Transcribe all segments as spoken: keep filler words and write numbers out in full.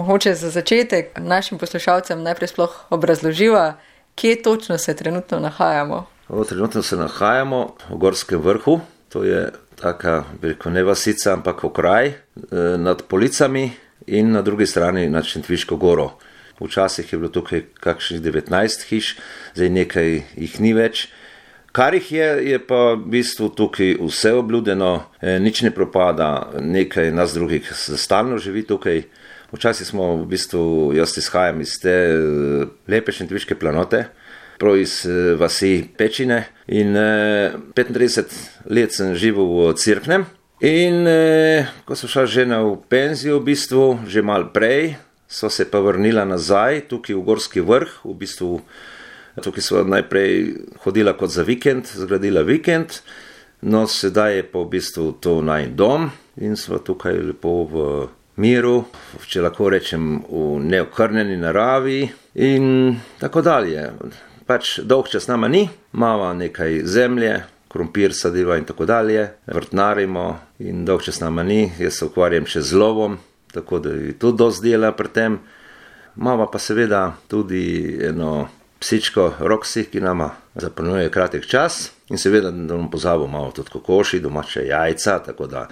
mogoče za začetek našim poslušalcem najprej sploh obrazloživa, kje točno se trenutno nahajamo. O, trenutno se nahajamo v Gorskem vrhu, to je taka, bi rekel, ne vasica, ampak okraj nad Policami in na drugi strani nad Šentviško goro. Včasih je bilo tukaj kakšnih devetnajst hiš, zdaj nekaj jih ni več. Kar jih je, je pa v bistvu tukaj vse obljudeno, nič ne propada, nekaj nas drugih stalno živi tukaj. Včasih smo v bistvu, jaz izhajam iz te lepe Šentviške planote, prav iz vasi Pečine in petintrideset let sem živel v Cerknem. In ko sem šel žena v penzijo, v bistvu, že malo prej, so se pa vrnila nazaj, tukaj v Gorski vrh, v bistvu tukaj so najprej hodila kot za vikend, zgradila vikend, no sedaj je pa v bistvu to naj dom in smo tukaj lepo v miru, če lahko rečem v neokrnjeni naravi in tako dalje. Pač dolg čas nama ni, imamo nekaj zemlje, krompir sadiva in tako dalje, vrtnarimo in dolg čas nama ni, jaz se ukvarjam še z lovom, tako da je tudi dosti dela pri tem. Imamo pa seveda tudi eno psičko Roxy, ki nama zapolnjuje kratek čas in seveda, da bomo pozabo malo tudi kokoši, domače jajca, tako da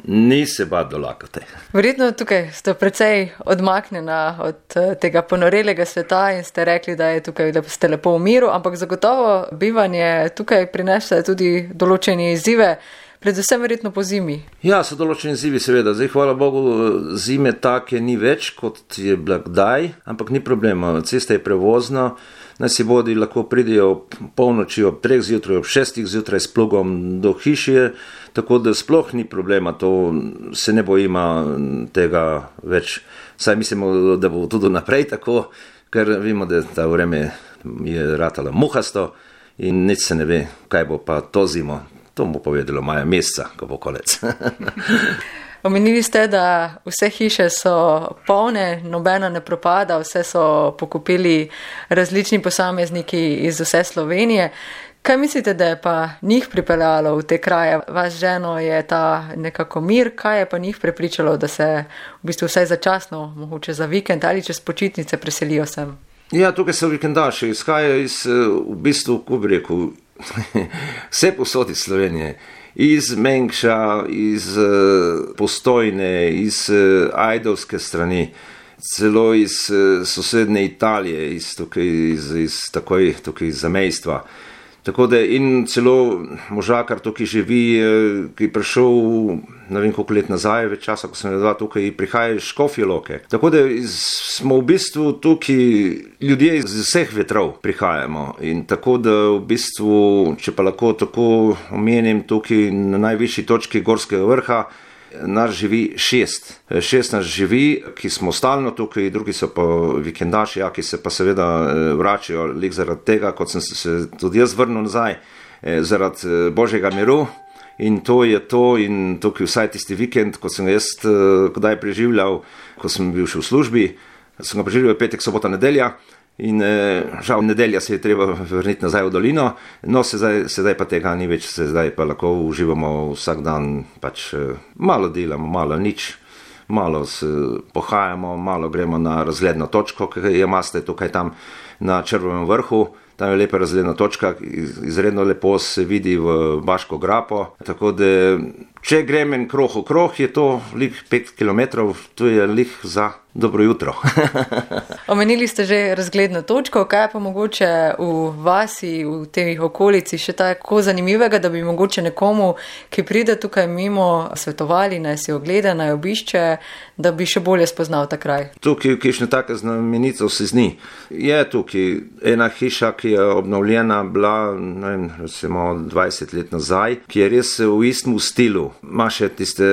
ni se bati dolakati. Verjetno tukaj ste precej odmaknjena od tega ponorelega sveta in ste rekli, da je tukaj, da ste lepo v miru, ampak zagotovo bivanje tukaj prinese tudi določene izzive, predvsem verjetno po zimi. Ja, so določeni izzivi seveda. Zdaj, hvala Bogu, zime take ni več, kot je bila kdaj, ampak ni problema. Cesta je prevozna, naj si bodi lahko pridejo ob polnoči, ob treh zjutraj, ob šestih zjutraj s plugom do hiše, tako da sploh ni problema, to se ne bojima tega več. Saj mislimo, da bo tudi naprej tako, ker vemo, da ta vreme je ratala muhasto in nič se ne ve, kaj bo pa to zimo. To bo povedalo maja meseca, ko bo konec. Omenili ste, da vse hiše so polne, nobena ne propada, vse so pokupili različni posamezniki iz vse Slovenije. Kaj mislite, da je pa njih pripeljalo v te kraje? Vaš ženo je ta nekako mir, kaj je pa njih prepričalo, da se v bistvu vsaj začasno, mogoče za vikend ali čez počitnice preselijo sem? Ja, tukaj so vikendaši, izhajajo iz, v bistvu, ko bi rekel, vse posod iz Slovenije, iz Mengša, iz Postojne, iz Ajdovske strani, celo iz sosednje Italije, iz, tukaj, iz, iz takoj, tukaj iz zamejstva. Tako da in celo možakar tukaj živi, ki je prišel, ne vem koliko let nazaj, več časa, ko sem dva tukaj, prihaja iz Škofje Loke. Tako da iz, smo v bistvu tukaj ljudje iz vseh vetrov prihajamo in tako da v bistvu, če pa lahko tako omenim tukaj na najvišji točki Gorskega vrha, nas živi šest. Šest nas živi, ki smo stalno tukaj, drugi so pa vikendaši, ja, ki se pa seveda vračajo lik zaradi tega, kot sem se tudi jaz vrnil nazaj, zaradi Božjega miru. In to je to in tukaj vsaj tisti vikend, ko sem jaz kdaj preživljal, ko sem bil še v službi, sem ga preživljal petek, sobota, nedelja. In žal nedelja se je treba vrniti nazaj v dolino, no sedaj, sedaj pa tega ni več, sedaj pa lahko uživamo vsak dan, pač malo delamo, malo nič, malo se pohajamo, malo gremo na razgledno točko, ki je imate tukaj tam na Črvovem vrhu, tam je lepa razgledna točka, izredno lepo se vidi v Baško grapo, tako da če grem en kroh v kroh, je to lik pet kilometrov, to je lik za dobro jutro. Omenili ste že razgledno točko, kaj pa mogoče v vasi, v teh okolici še tako zanimivega, da bi mogoče nekomu, ki pride tukaj mimo, svetovali, naj si ogleda, naj obišče, da bi še bolje spoznal ta kraj? Tukaj, kišne take znamenice vse zni. Je tukaj ena hiša, ki je obnovljena bila, ne vem, recimo dvajset let nazaj, ki je res v istem stilu. Ima še tiste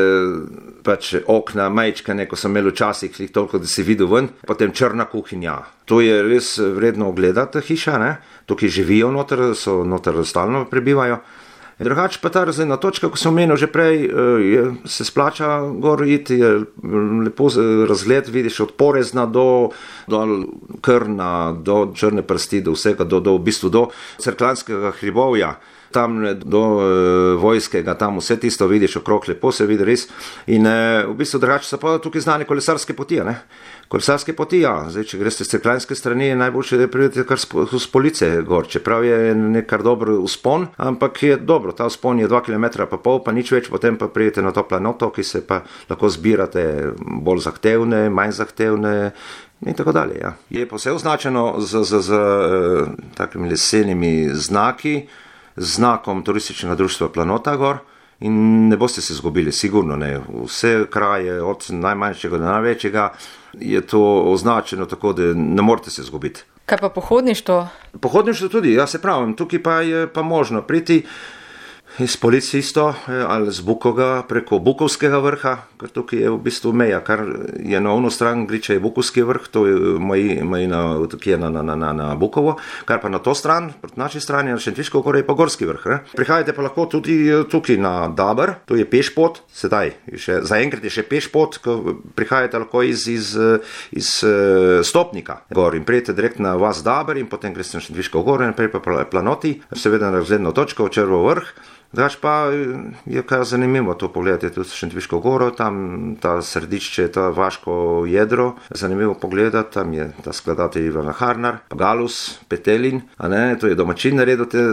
pač okna, majčkane, ko sem imel včasih toliko, da si videl ven, potem črna kuhinja. To je res vredno ogledati hiša, ne? Tukaj živijo noter, so noter stalno prebivajo. Drugače pa ta razgledna točka, ko sem omenil že prej, je, se splača gor iti, je lepo razgled, vidiš od Porezna do, do Krna, do Črne prsti, do vsega, do, do, v bistvu do Cerkljanskega hribovja. tam do e, vojskega, tam vse tisto vidiš okrog, lepo se vidi res. In e, v bistvu drugače so pa tukaj znane kolesarske poti, ne? Kolesarske poti, ja. Zdaj, če greste z Cerkljanske strani, je najboljše, da pridete kar z Police gor, čeprav je nekar dober vzpon, ampak je dobro, ta vzpon je dva kilometra pa pol, pa nič več, potem pa pridete na to planoto, ki se pa lahko zbirate bolj zahtevne, manj zahtevne in tako dalje, ja. Je pa vse označeno z, z, z uh, takimi lesenimi znaki, z znakom turističnega društva Planota gor. In ne boste se zgubili, sigurno ne. Vse kraje, od najmanjšega do največjega, je to označeno tako, da ne morete se zgubiti. Kaj pa pohodništvo? Pohodništvo tudi, ja se pravim, tukaj pa je pa možno priti iz Police isto, ali z Bukoga preko Bukovskega vrha, ker tukaj je v bistvu meja, kar je na ono stran Griča je Bukovski vrh, to je moj, moj na, ki je na, na, na, na Bukovo, kar pa na to stran, proti naši strani, na Šentviško gor je pa Gorski vrh. Ne? Prihajate pa lahko tudi tukaj na Daber, to je pešpot, sedaj, še, zaenkrat je še pešpot, ko prihajate lahko iz, iz, iz Stopnika gor in prijete direkt na vas Daber in potem greste na Šentviško gor in prej pa Planoti, seveda na razgledno točko, Črvo vrh. Drugač pa je kar zanimivo to pogledati, tudi Šentviško goro, tam ta središče, ta vaško jedro, zanimivo pogledati, tam je ta skladatelj Ivan Harnar, Galus, Petelin, a ne, to je domačin naredil te,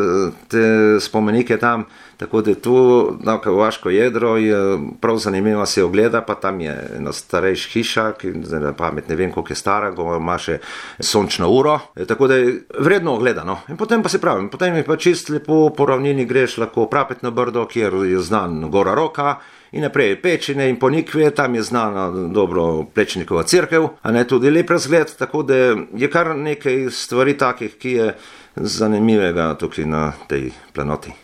te spomenike tam, tako da tu na vaško jedro je prav zanimivo se ogleda, pa tam je ena starejša hiša, ki na pamet ne vem koliko je stara, ko ima še sončno uro, tako da je vredno ogledano. In potem pa se pravim, potem je pa čist lepo po ravnini greš lahko Prapetno brdo, kjer je znan Gora Roka, in naprej Pečine in Ponikve, tam je znana dobro Plečnikova cerkev, a ne tudi lep razgled, tako da je kar nekaj stvari takih, ki je zanimivega tukaj na tej planoti.